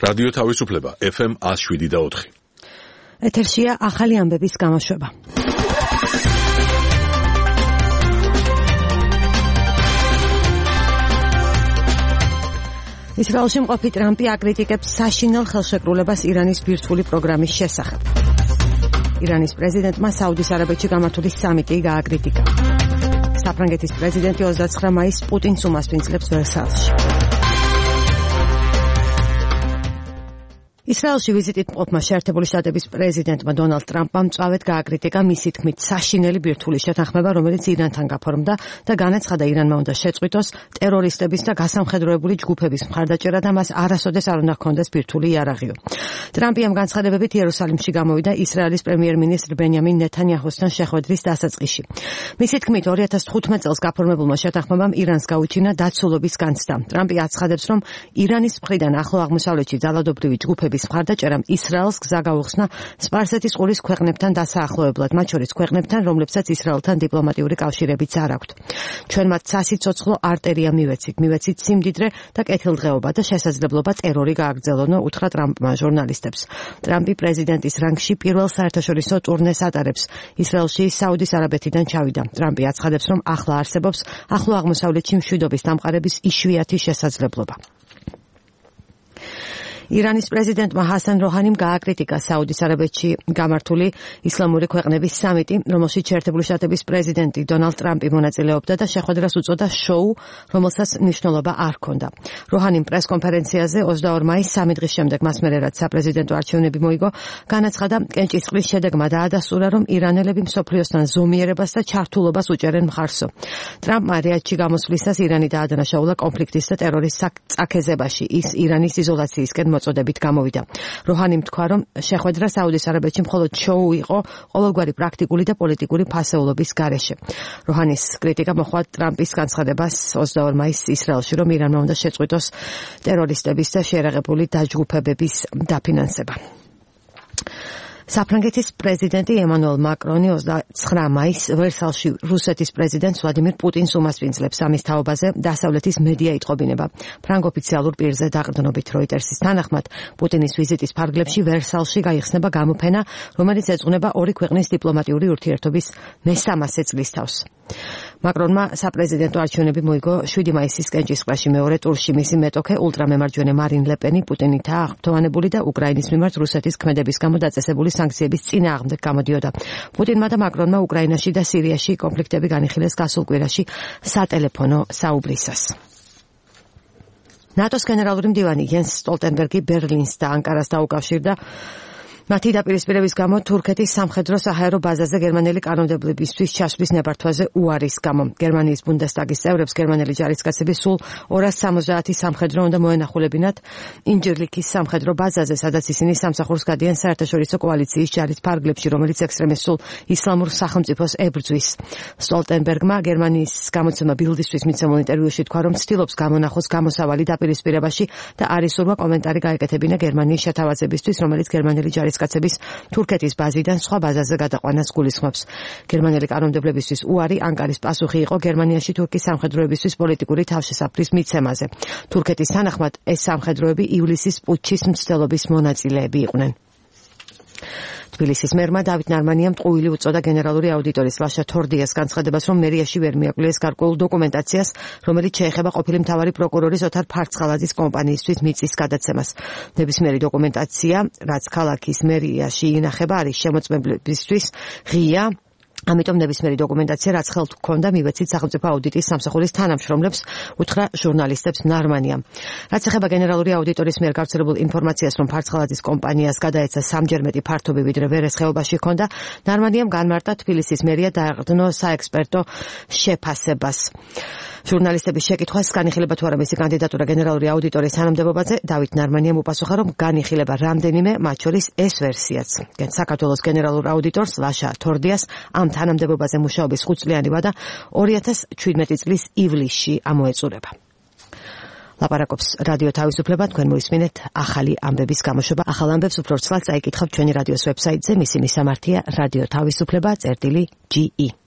რადიო თავისუფლება FM 107.4. ეთერშია ახალი ამბების გამოშვება. ისრაელში მყოფი ტრამპი აკრიტიკებს საშინელ ხელშეკრულებას ირანის ბირთვული პროგრამის შესახებ. ირანის პრეზიდენტმა საუდის არაბეთში გამართული სამიტი გააკრიტიკა. საფრანგეთის პრეზიდენტი 29 მაისს პუტინს უმასპინძლებს ვერსალში. ისრაელში ვიზიტით მყოფმა შეერთებული შტატების პრეზიდენტმა დონალდ ტრამპმა მწვავედ გააკრიტიკა მისი თქმით საშინელი ბირთვული შეთანხმება, რომელიც ირანთან გაფორმდა და განაცხადა ირანმა უნდა შეწყვიტოს ტერორისტების და გასამხედროებული ჯგუფების მხარდაჭერა და მას არასოდეს არ უნდა ჰქონდეს ბირთვული იარაღიო. ტრამპი ამ განცხადებებით იერუსალიმში გამოვიდა ისრაელის პრემიერ-მინისტრ ბენიამინ ნეთანიაჰუსთან შეხვედრის დასაწყისში. მისი თქმით 2015 წელს გაფორმებულმა შეთანხმებამ ირანს გაუჩინა დაცულობის განცდა. ტრამპი აცხადებს, რომ ირანის მხრიდან ახლო აღმოსავლეთში ძალადობრივი ჯგუფების მხარდაჭერამ ისრაელს გზა გაუხსნა სპარსეთის ყურის ქვეყნებთან დასაახლოებლად, მათ შორის ქვეყნებთან, რომლებსაც ისრაელთან დიპლომატიური კავშირებიც არ აქვთ. ჩვენ მათ სასიცოცხლო არტერია მივეცით სიმდიდრე და კეთილდღეობა და შესაძლებლობა ტერორი გააგრძელონო, უთხრა ტრამპმა ჟურნალისტებს. ტრამპი პრეზიდენტის რანგში პირველ საერთაშორისო ტურნეს ატარებს. ისრაელში საუდის არაბეთიდან ჩავიდა. ტრამპი აცხადებს, რომ ახლა არსებობს ახლო აღმოსავლეთში მშვიდობის დამყარების იშვიათი შესაძლებლობა. ირანის პრეზიდენტმა ჰასან როჰანიმ გააკრიტიკა საუდის არაბეთში გამართული ისლამური ქვეყნების სამიტი, რომელშიც შეერთებული შტატების პრეზიდენტი დონალდ ტრამპი მონაწილეობდა და შეხვედრას უწოდა შოუ, რომელსაც მნიშვნელობა არ ჰქონდა. როჰანიმ პრესკონფერენციაზე 22 მაისს სამი დღის შემდეგ მას მერე რაც საპრეზიდენტო არჩევნები მოიგო, განაცხადა კენჭისყრის შედეგმა დაადასტურა, რომ ირანელები მსოფლიოსთან ზომიერებას და ჩართულობას უჭერენ მხარსო. ტრამპმა რიადში გამოსვლისას ირანი დაადანაშაულა კონფლიქტის და ტერორის წაქეზებაში. ის ირანის იზოლაციისკენ მოწოდებით გამოვიდა. როჰანიმ თქვა, რომ შეხვედრა საუდის არაბეთში მხოლოდ შოუ იყო ყოველგვარი პრაქტიკული და პოლიტიკური ფასეულობის გარეშე. როჰანის კრიტიკა მოჰყვა ტრამპის განცხადებას 22 მაისს ისრაელში, რომ ირანმა უნდა შეწყვიტოს ტერორისტების და შეერაღებული დაჯგუფებების დაფინანსება. საფრანგეთის პრეზიდენტი ემანუელ მაკრონი 29 მაისს ვერსალში რუსეთის პრეზიდენტს ვლადიმირ პუტინს უმასპინძლებს ამის თაობაზე დასავლეთის მედია იტყობინება. ფრანგ ოფიციალურ პირზე დაყრდნობით როიტერსის თანახმად, პუტინის ვიზიტის ფარგლებში ვერსალში გაიხსნება გამოფენა, რომელიც ეძღვნება ორი ქვეყნის დიპლომატიური ურთიერთობის მე-300 წლისთავს. მაკრონმა საპრეზიდენტო არჩევნები მოიგო 7 მაისის კენჭისყრაში მეორე ტურში. მისი მეტოქე ულტრამემარჯვენე მარინ ლე-პენი პუტინითაა აღფრთოვანებული და უკრაინის მიმართ რუსეთის ქმედების გამო დაწესებული სანქციების წინააღმდეგ გამოდიოდა. პუტინმა და მაკრონმა უკრაინაში და სირიაში კონფლიქტები განიხილეს გასულ კვირაში სატელეფონო საუბრისას. ნატოს გენერალური მდივანი იენს სტოლტენბერგი ბერლინს და ანკარას დაუკავშირდა მათი დაპირისპირების გამო თურქეთის სამხედრო საჰაერო ბაზაზე გერმანელი კანონმდებლობისთვის ჩასვლის ნებართვაზე უარის გამო. გერმანიის ბუნდესტაგის წევრებს გერმანელი ჯარისკაცები სულ 270 სამხედრო უნდა მოენახულებინათ ინჯერლიქის სამხედრო ბაზაზე, სადაც ისინი სამსახურს გადიან საერთაშორისო კოალიციის ჯარის ფარგლებში, რომელიც ექსტრემისტულ ისლამურ სახელმწიფოს ებრძვის. სტოლტენბერგმა გერმანიის გამოცემა ბილდისთვის მიცემულ ინტერვიუში თქვა, რომ ცდილობს გამონახოს გამოსავალი დაპირისპირებაში და არ ისურვა კომენტარი გაეკეთებინა გერმანიის შეთავაზებისთვის, რომელიც გერმანელი ჯარისკაცების თურქეთის ბაზიდან სხვა ბაზაზე გადაყვანას გულისხმობს. გერმანელი კანონმდებლობისთვის უარი ანკარის პასუხი იყო გერმანიაში თურქის სამხედროებისთვის პოლიტიკური თავშესაფრის მიცემაზე. თურქეთის თანახმად ეს სამხედროები ივლისის პუტჩის მცდელობის მონაწილეები იყვნენ. თბილისის მერმა დავით ნარმანიამ ტყუილი უწოდა გენერალური აუდიტორის ლაშა თორდიას განცხადებას, რომ მერიაში ვერ მიაკვლიეს გარკვეულ დოკუმენტაციას, რომელიც შეეხება ყოფილი მთავარი პროკურორის ოთარ ფარცხალაძის კომპანიისთვის მიწის გადაცემას. ნებისმიერი დოკუმენტაცია, რაც ქალაქის მერიაში ინახება, არის შემოწმებლებისთვის ღია. ამიტომ ნებისმიერი დოკუმენტაცია, რაც ხელთ გქონდა, მივეცით სახელმწიფო აუდიტის სამსახურის თანამშრომლებს, უთხრა ჟურნალისტებს ნარმანიამ. რაც ეხება გენერალური აუდიტორის მიერ გავრცელებულ ინფორმაციას, რომ ფარცხალაძის კომპანიას გადაეცა სამჯერ მეტი ფართობი, ვიდრე ვერეს ხეობაში ჰქონდა, ნარმანიამ განმარტა თბილისის მერია დააყრდნო საექსპერტო შეფასებას. ჟურნალისტების შეკითხვას განიხილება თუ არა მისი კანდიდატურა გენერალური აუდიტორის თანამდებობაზე, დავით ნარმანიამ უპასუხა, რომ განიხილება რამდენიმე, მათ შორის ეს ვერსიაც. საქართველოს გენერალურ აუდიტორს ლაშა თორდიას ამ თანამდებობაზე მუშაობის 5-წლიანი ვადა 2017 წლის ივლისში ამოეწურება. ლაპარაკობს რადიო თავისუფლება, თქვენ მოისმინეთ ახალი ამბების გამოშვება. ახალ ამბებს უფრო ცალ წაიკითხავთ ჩვენი რადიოს ვებსაიტზე, მისი მისამართია რადიო თავისუფლება.ge